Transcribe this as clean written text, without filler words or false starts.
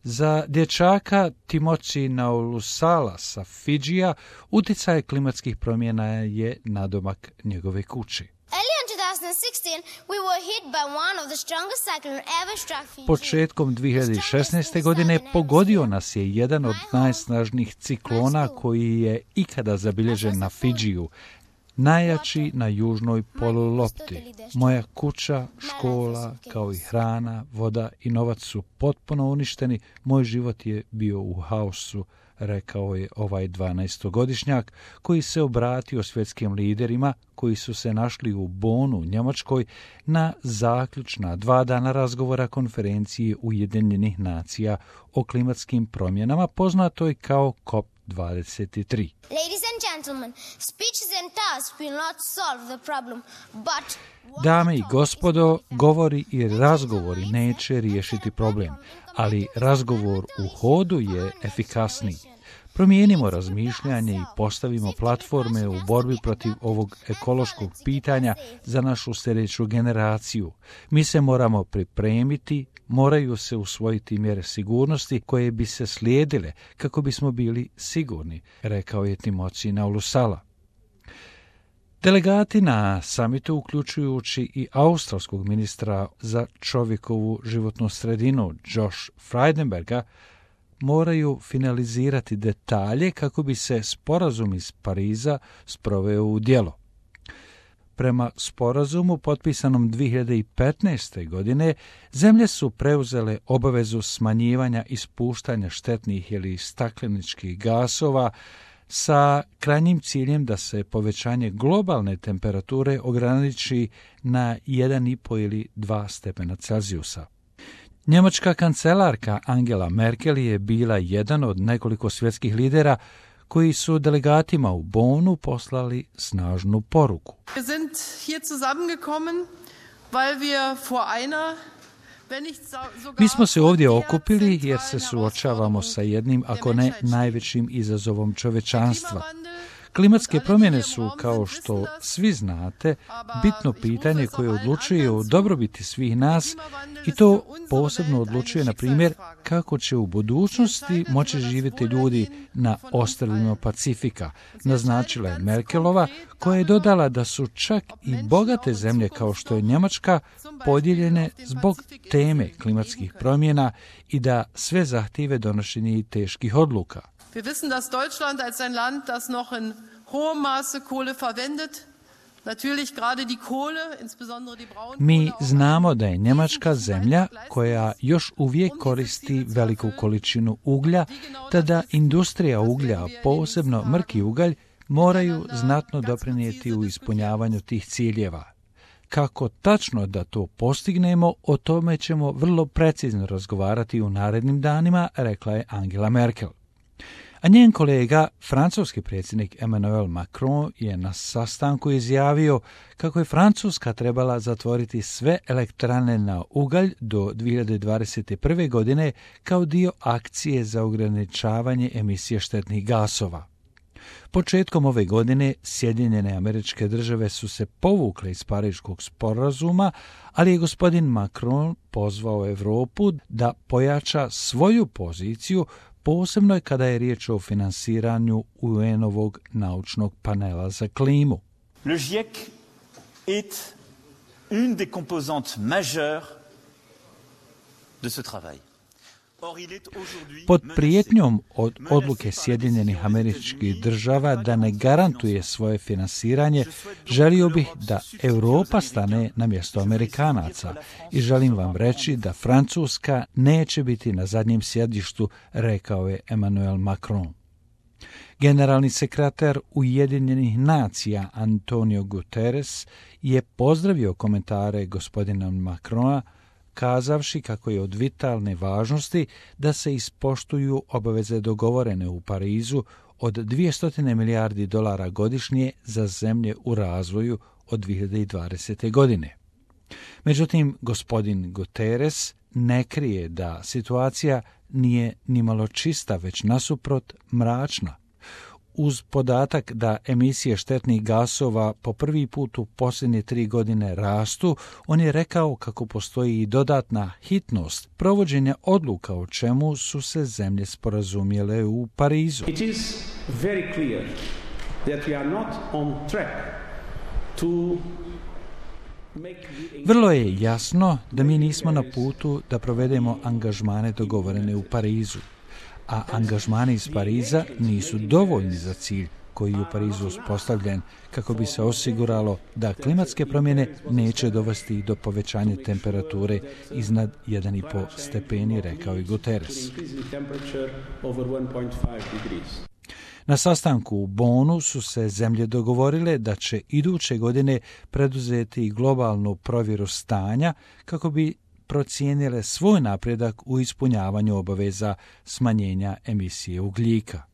Za dječaka Timothy Naulusala sa Fidžija utjecaj klimatskih promjena je nadomak njegove kući. Početkom 2016. godine pogodio nas je jedan od najsnažnijih ciklona koji je ikada zabilježen na Fidžiju, najjači na južnoj polulopti. Moja kuća, škola, kao i hrana, voda i novac su potpuno uništeni. Moj život je bio u haosu, rekao je ovaj 12-godišnjak koji se obratio svjetskim liderima koji su se našli u Bonu u Njemačkoj na zaključna 2 dana razgovora konferencije Ujedinjenih nacija o klimatskim promjenama, poznatoj kao COP23. Ladies and gentlemen, speeches and tasks will not solve the problem, but Dame i gospodo, govori i razgovori neće riješiti problem, ali razgovor u hodu je efikasniji. Promijenimo razmišljanje i postavimo platforme u borbi protiv ovog ekološkog pitanja za našu sljedeću generaciju. Mi se moramo pripremiti, moraju se usvojiti mjere sigurnosti koje bi se slijedile kako bismo bili sigurni, rekao je Timothy Naulusala. Delegati na samitu, uključujući i australskog ministra za čovjekovu životnu sredinu Josh Frydenberga, moraju finalizirati detalje kako bi se sporazum iz Pariza sproveo u djelo. Prema sporazumu potpisanom 2015. godine, zemlje su preuzele obavezu smanjivanja ispuštanja štetnih ili stakleničkih gasova sa krajnjim ciljem da se povećanje globalne temperature ograniči na 1,5 ili 2 stepena Celzijusa. Njemačka kancelarka Angela Merkel je bila jedan od nekoliko svjetskih lidera koji su delegatima u Bonu poslali snažnu poruku. Wir sind hier zusammengekommen, weil wir vor einer Mi smo se ovdje okupili jer se suočavamo sa jednim, ako ne najvećim izazovom čovečanstva. Klimatske promjene su, kao što svi znate, bitno pitanje koje odlučuje o dobrobiti svih nas i to posebno odlučuje, na primjer, kako će u budućnosti moći živjeti ljudi na ostrvima Pacifika, naznačila je Merkelova, koja je dodala da su čak i bogate zemlje kao što je Njemačka podijeljene zbog teme klimatskih promjena i da sve zahtijeve donošenje teških odluka. Wir wissen, dass Deutschland als ein Land, das noch in hohem Maße Kohle verwendet, natürlich gerade die Kohle, insbesondere die Braunkohle. Mi znamo da je Njemačka zemlja koja još uvijek koristi veliku količinu uglja, te da industrija uglja, posebno mrki ugalj, moraju znatno doprinijeti u ispunjavanju tih ciljeva. Kako tačno da to postignemo, o tome ćemo vrlo precizno razgovarati u narednim danima, rekla je Angela Merkel. A njen kolega, francuski predsjednik Emmanuel Macron, je na sastanku izjavio kako je Francuska trebala zatvoriti sve elektrane na ugalj do 2021. godine kao dio akcije za ograničavanje emisije štetnih gasova. Početkom ove godine Sjedinjene Američke Države su se povukle iz Pariškog sporazuma, ali je gospodin Macron pozvao Europu da pojača svoju poziciju, posebno je kada je riječ o finansiranju UN-ovog naučnog panela za klimu. Le GIEC est une des composantes majeures de ce travail. Pod prijetnjom od odluke Sjedinjenih Američkih Država da ne garantuje svoje finansiranje, želio bih da Europa stane na mjesto Amerikanaca i želim vam reći da Francuska neće biti na zadnjem sjedištu, rekao je Emmanuel Macron. Generalni sekretar Ujedinjenih nacija Antonio Guterres je pozdravio komentare gospodina Macrona, kazavši kako je od vitalne važnosti da se ispoštuju obaveze dogovorene u Parizu od $200 milijardi godišnje za zemlje u razvoju od 2020. godine. Međutim, gospodin Guterres ne krije da situacija nije nimalo čista, već nasuprot mračna. uz podatak da emisije štetnih gasova po prvi put u posljednje 3 godine rastu, on je rekao kako postoji i dodatna hitnost provođenja odluka o čemu su se zemlje sporazumjele u Parizu. It is very clear that we are not on track to Vrlo je jasno da mi nismo na putu da provedemo angažmane dogovorene u Parizu, a angažmani iz Pariza nisu dovoljni za cilj koji je u Parizu uspostavljen kako bi se osiguralo da klimatske promjene neće dovesti do povećanja temperature iznad 1,5 stepeni, rekao je Guterres. Na sastanku u Bonu su se zemlje dogovorile da će iduće godine preduzeti globalnu provjeru stanja kako bi procijenile svoj napredak u ispunjavanju obaveza smanjenja emisije ugljika.